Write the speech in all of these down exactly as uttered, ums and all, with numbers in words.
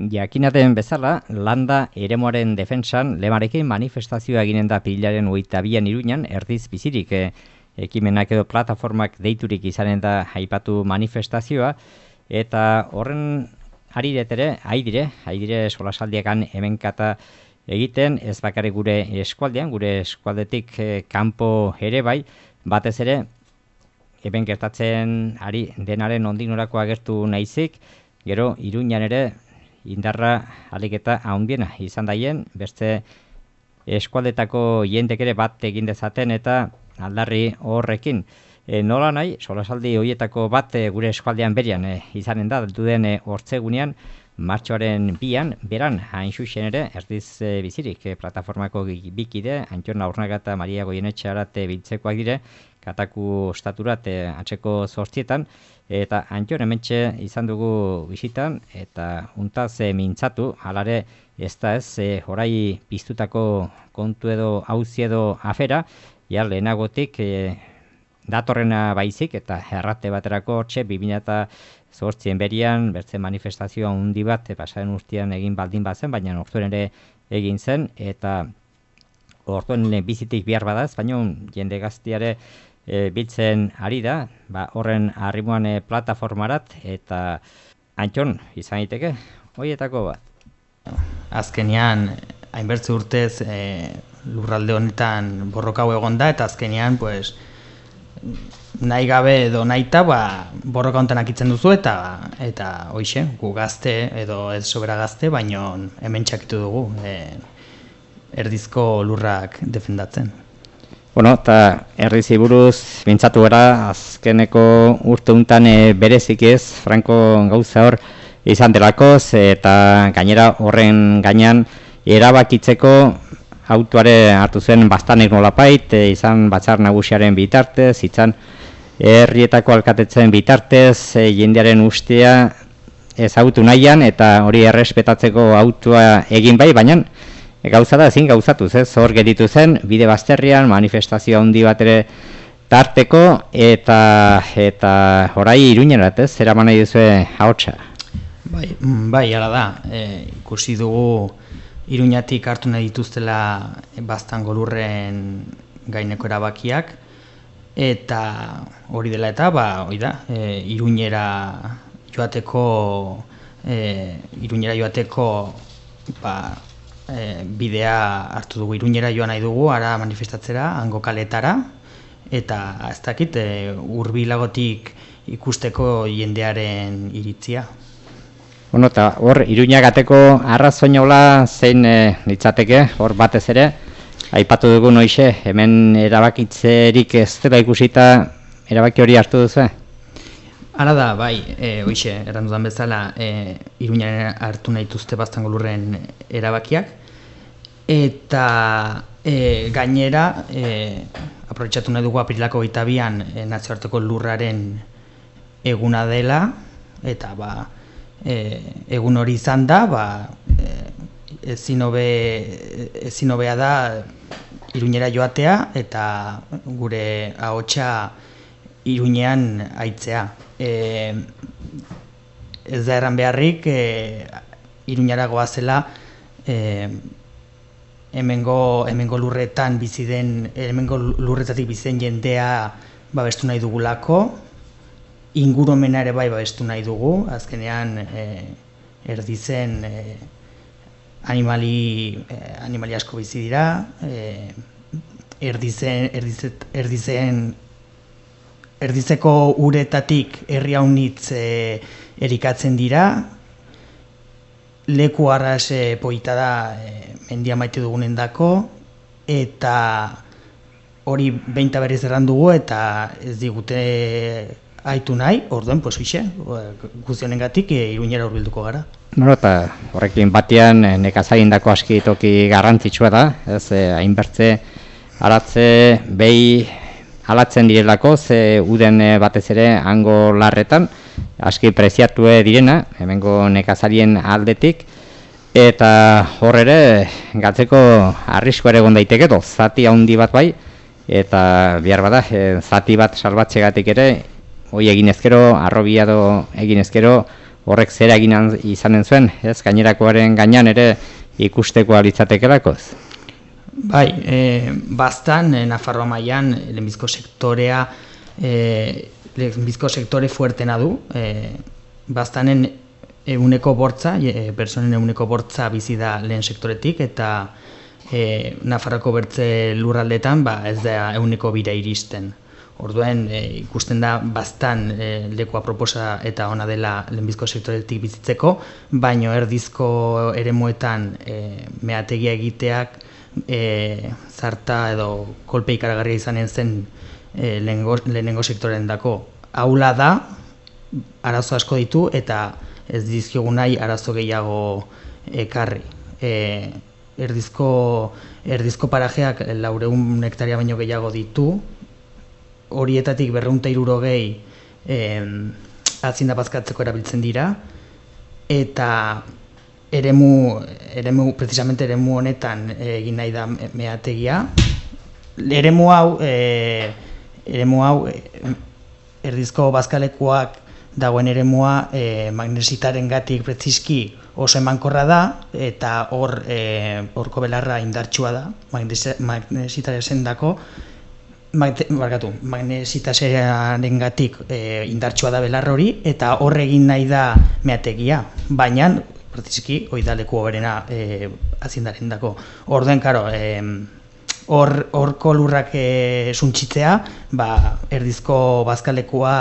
Jakinaten bezala, landa eremuaren defentsan lemarekin manifestazioa eginen da pilaren hogeita bian Iruñan, erdiz bizirik e, ekimenak edo plataformak deiturik izanen da aipatu manifestazioa, eta horren ariretere, haidire, haidire solasaldiakan hemenkata egiten, ez bakarrik gure eskualdean, gure eskualdetik e, kanpo ere bai, batez ere, hemen gertatzen ari denaren ondinorako agertu naizik, gero Iruñan ere, indarra aliketa handiena izan daien, beste eskualdetako jendek ere bat egin dezaten eta aldarri horrekin. E, nola nahi, solasaldi horietako bat e, gure eskualdean berian e, izanen da, duden e, hortzegunean, martxoaren bian, beran, hain xuxen ere, erdiz e, bizirik, e, plataformako bikide, Antxon Aurnaga eta Maria Goienetxearat e, biltzekoak dire, Kataku ostaturat e, atzeko zortzietan, eta Antxon hementxe izan dugu bisitan, eta untaz e, mintzatu, halare ez da ez, e, horai piztutako kontu edo auzi edo afera, ja lehenagotik e, datorrena baizik, eta errate baterako hortxe, bi mila zortzien berian, bertze manifestazioa handi bat, e, pasaren urtean egin baldin bazen, baina orduan ere egin zen, eta orduan bizitik behar badaz, baina jende gaztiare E, biltzen ari da, ba, horren arrimuan e, plataformarat, eta Antxon, izan daiteke, horietako bat. Azkenean, hainbertze urtez e, lurralde honetan borrokau egon da, eta azkenean, pues, nahi gabe edo nahita, ba, borroka honetan akitzen duzu, eta eta hoixe, gu gazte edo ez sobera gazte, baino hemen txakitu dugu, e, erdizko lurrak defendatzen. Bueno, eta erdizi buruz mintzatu gara, azkeneko urte untan e, berezik ez, Franco gauza hor izan delakoz, eta gainera horren gainean erabakitzeko autuare hartu zen bastanek nolapait, e, izan batzar nagusiaren bitartez, izan herrietako alkatetzen bitartez, e, jendearen ustea ezagutu nahian, eta hori errespetatzeko autua egin bai, baina gauza da ezin gauzatuz, ez? Hor geditu zen, bide bazterrian, manifestazio handi bat ere tarteko, eta eta orai Iruñerat, ez? Zeraman nahi duzue ahotsa. Bai, bai, hala da. E, ikusi dugu Iruñatik hartu nahi dituztela Baztango lurren gaineko erabakiak, eta hori dela eta, ba, hori da, e, Iruñera joateko, e, Iruñera joateko, ba, E, bidea hartu dugu, Iruñera joan nahi dugu, ara manifestatzera, hango kaletara, eta ez dakit, e, hurbilagotik ikusteko jendearen iritzia. Bueno, eta hor, Iruñagateko arrazoinola zein e, litzateke, hor batez ere, aipatu dugu noixe, hemen erabakitzerik ez dela ikusita erabaki hori hartu duzu? Hala da, bai, e, hoixe, errandudan bezala, e, Iruñaren hartu nahi dituzte Baztango lurren erabakiak, eta e, gainera, e, aprobetxatu nahi dugu aprilako hogeita bian e, nazioarteko lurraren eguna dela, eta ba, e, egun hori izan da, ba, e, ezin hobe, ezin hobea da Iruñera joatea, eta gure ahotsa Iruñean aitzea. E, ez da erran beharrik, e, Iruñara goazela e, hemengo, hemengo lurretan bizi den, hemengo lurretatik bizi den jendea babestu nahi dugulako, ingurumena ere bai babestu nahi dugu, azkenean e, erdizen e, animali, e, animali asko bizi dira, e, erdizen, erdizet, erdizen Erdizeko uretatik herri haunitz e, erikatzen dira, leku arras e, poita da e, mendia maite dugunen dako, eta hori behinta berriz errandugu eta ez digute aitu nahi, orduen, pues hoxe, guztionengatik e, Iruñera hurbilduko gara. Bueno, eta horrekin batean nekazarindako aski toki garrantzitsua da, ez hainbertze aratze behi alatzen direlako, ze uden batez ere hango larretan, aski preziatu direna, hemengo nekazarien aldetik, eta hor ere gatzeko arrisko ere egon daiteke edo, zati handi bat bai, eta behar bada, e, zati bat salbatzegatik ere, hoi egin ezkero, arrobia do egin ezkero, horrek zera egin izanen zuen, ez, gainerakoaren gainean ere ikusteko alitzatekelakoz? Bai, e, bastan, e, Nafarroa mailan lehenbizko sektorea, e, lehenbizko sektore fuertena du, e, bastanen eguneko bortza, e, personen eguneko bortza bizi da lehen sektoretik, eta e, Nafarroko bertze lurraldetan ba, ez da eguneko bira iristen. Orduen e, ikusten da bastan e, leku aproposa eta ona dela lehenbizko sektoretik bizitzeko, baino erdizko eremuetan e, meategia egiteak e, zarta edo kolpe ikaragarria izanen zen e, lehenengo, lehenengo sektoren dako. Haula da, arazo asko ditu eta ez dizkiogu nahi arazo gehiago ekarri. E, erdizko, erdizko parajeak laureun hektaria baino gehiago ditu, horietatik berrehun eta hirurogei eh, atzinda bazkatzeko erabiltzen dira, eta eremu, eremu, precisamente eremu honetan egin nahi da meategia. Eremu hau, eh, eremu hau eh, erdizko bazkalekuak dagoen eremua eh, magnesitaren gatik preziski oso emankorra da, eta hor eh, horko belarra indartsua da, magnesitaren dako, Barkatu, magnesitasearen gatik e, indartsua da belar hori, eta hor egin nahi da meategia, baina, praktizki, hori da leku hoberena e, azindaren dako. Orduen, karo, e, hor, horko lurrak e, suntxitzea, ba, erdizko bazkalekua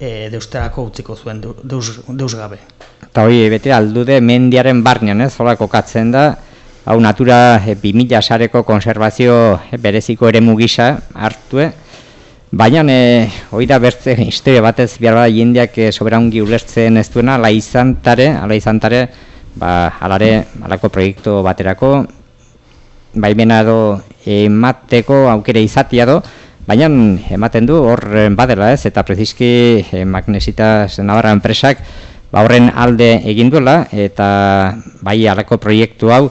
e, deusterako utziko zuen, deus, deus gabe. Eta hori, bete aldude mendiaren barnean, ez, hola kokatzen da, hau Natura bi mila sareko konservazio bereziko eremu gisa hartu, baina e, hori da bertze historia batez behar bada jendeak e, soberaungi ulertzen ez duena, ala izantare, ala izantare, ba, alare, alako proiektu baterako, baimena edo emateko aukere izatia do, baina ematen du hor badela ez, eta preziski e, Magnesitas Navarra enpresak ba, horren alde egin duela, eta bai alako proiektu hau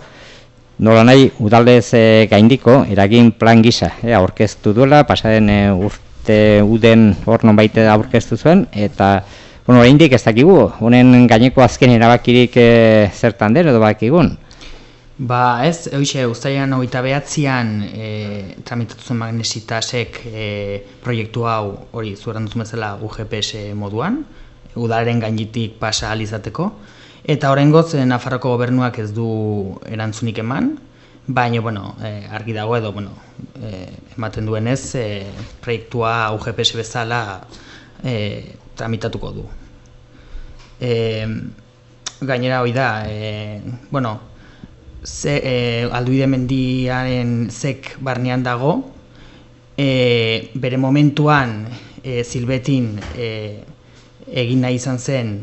nola nahi udaldez e, gaindiko eragin plan gisa e, aurkeztu duela, pasaren e, urte uden hor nonbait aurkeztu zuen, eta bueno, oraindik ez dakigu, honen gaineko azken erabakirik e, zertan den edo bakigun? Ba ez, hoxe, uztailean hogeita behatzian e, tramitatu zuen Magnesitasek e, proiektu hau hori zueran duzun bezala U G P S moduan, udalaren gainitik pasa ahal izateko. Eta oraingoz Nafarroko gobernuak ez du erantzunik eman, baina bueno, eh, argi dago edo bueno, eh, ematen duenez eh, proiektua U G P S bezala eh, tramitatuko du. Eh, gainera hori da, eh, bueno, ze, eh, Alduide mendiaren zek barnean dago, eh, bere momentuan eh, Zilbetin eh, egin nahi izan zen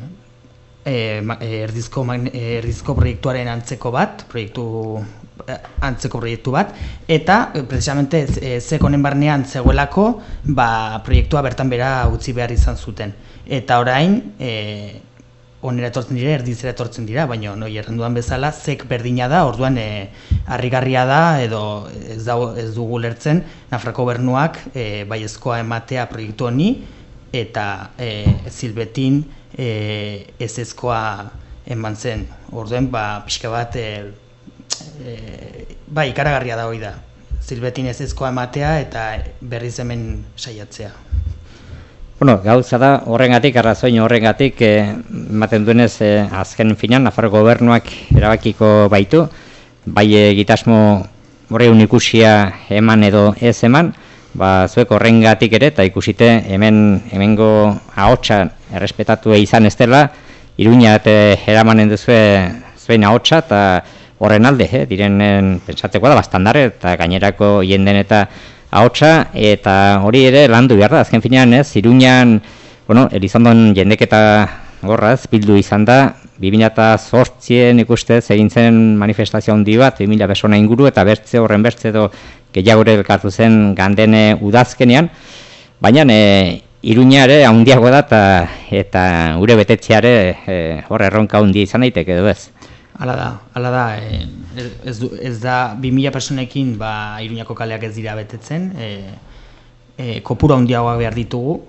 E, erdizko, erdizko proiektuaren antzeko bat, proiektu, antzeko proiektu bat, eta precisamente zek honen barnean zegoelako ba, proiektua bertan bera utzi behar izan zuten. Eta orain, e, onera etortzen dira, erdizera etortzen dira, baina noi erranduan bezala zek berdina da, orduan e, harrigarria da, edo ez, da, ez dugu lertzen, Nafarroko gobernuak e, baiezkoa ematea proiektu honi, eta e, Zilbetin E, ez ezkoa eman zen. Orduen, ba, pixka bat, e, e, ba, ikaragarria da hori da. Zilbetin ez ezkoa ematea eta berriz hemen saiatzea. Bueno, gauza da, horrengatik, arrazoin horrengatik, ematen e, duenez, e, azken finan, Nafarroko gobernuak erabakiko baitu, bai egitasmo horreun ikusia eman edo ez eman, ba, zuek horrengatik ere, eta ikusite hemen hemengo ahotsa errespetatu izan ez dela, Iruña eta eramanen duzue zuen ahotsa, eta horren alde, eh, direnen pentsateko da, bastandare, eta gainerako jenden eta ahotsa, eta hori ere landu behar da, azken finean ez, Iruñan, bueno, Elizondon jendeketa gorraz, bildu izan da, bi mila zortzien ikustez egin zen manifestazio handi bat, bi mila persona inguru, eta bertze horren bertze edo gehiagore elkartu zen gandene udazkenean, baina e, Iruña ere handiago da eta, eta gure betetzeare e, hor erronka handia izan daiteke edo ez. Hala da, hala da, e, ez, du, ez da bi mila personekin ba, Iruñako kaleak ez dira betetzen, e, e, kopura handiagoak behar ditugu,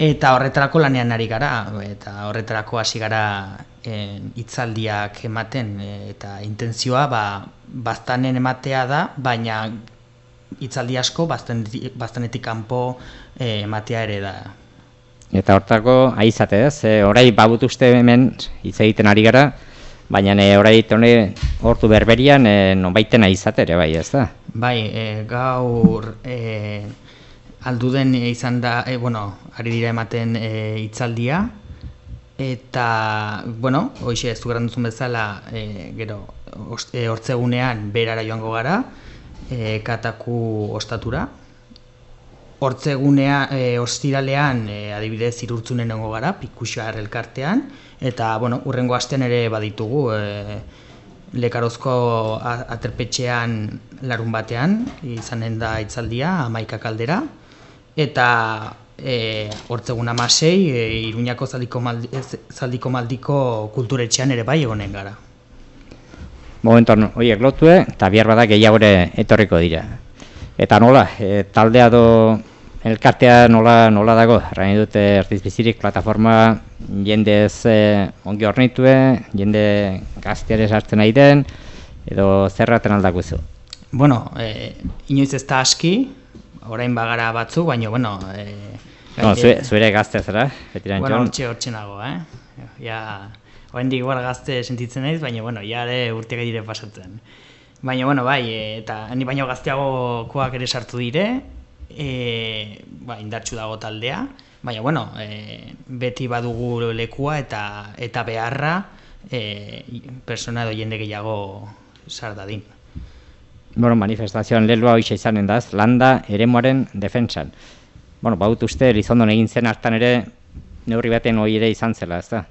eta horretarako lanean ari gara, eta horretarako hasi gara e, hitzaldiak ematen, e, eta intentzioa ba, baztanen ematea da, baina hitzaldi asko baztanetik kanpo e, ematea ere da. Eta hortako aizate ez, e, orai babut uste hemen hitz egiten ari gara, baina e, orai hone hortu berberian e, nonbaiten aizate ere bai ez da? Bai, e, gaur e, alduden izan da, e, bueno, ari dira ematen hitzaldia, e, eta, bueno, hoxe ez du gara duzun bezala, e, gero, e, hortzegunean berara joango gara, e, kataku ostatura. Hortzegunea, e, ostiralean, e, adibidez, irurtzunen nengo gara, Pikuxar elkartean, eta, bueno, urrengo astean ere baditugu, e, Lekarozko aterpetxean larun batean, izanen da hitzaldia, hamaika kaldera, eta e, hortzegun hamasei, e, Iruñako zaldiko, maldi, zaldiko maldiko kulturetxean ere bai egonen gara. Momentuan horiek lotue, eta bihar bada gehiagore etorriko dira. Eta nola, e, taldea do elkartea nola, nola dago, rain dute Erdiz Bizirik plataforma jendez e, ongi hornitue, jende gazteare sartzen nahi den, edo zerraten aldakuzu? Bueno, e, inoiz ez da aski, orain bagara batzu, baina, bueno... E, no, zure, zure gazte zara, betiran bueno, txon? Hortxe hortxe nago, eh? Ja, orain igual gazte sentitzen naiz, baina, bueno, ja ere urteak dire pasatzen. Baina, bueno, bai, e, eta ni baino gazteagokoak ere sartu dire, e, ba, indartsu dago taldea, baina, bueno, e, beti badugu lekua eta eta beharra e, persona edo jende gehiago sar dadin. Bueno, manifestazioan leloa hoxe izanen daz, landa eremuaren defentsan. Bueno, baut uste, Elizondon egin zen hartan ere, neurri baten hori ere izan zela, ez da?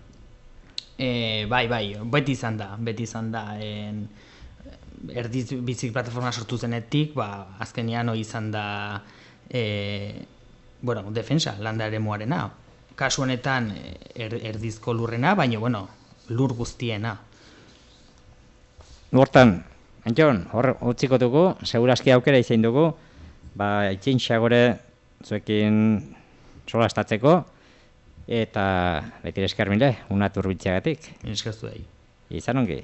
E, bai, bai, beti izan da, beti izan da. En, Erdiz Bizik plataforma sortu zenetik, ba, azkenean hori izan da e, bueno, defensa, landa eremuarena. Kasu honetan er, erdizko lurrena, baina, bueno, lur guztiena. Hortan, Antxon, hor utziko dugu, seguraski aukera izan dugu, ba, itxintxagore zuekin solastatzeko, eta beti esker mile, una turbitxagatik. Eskertu dahi. Izan ongi.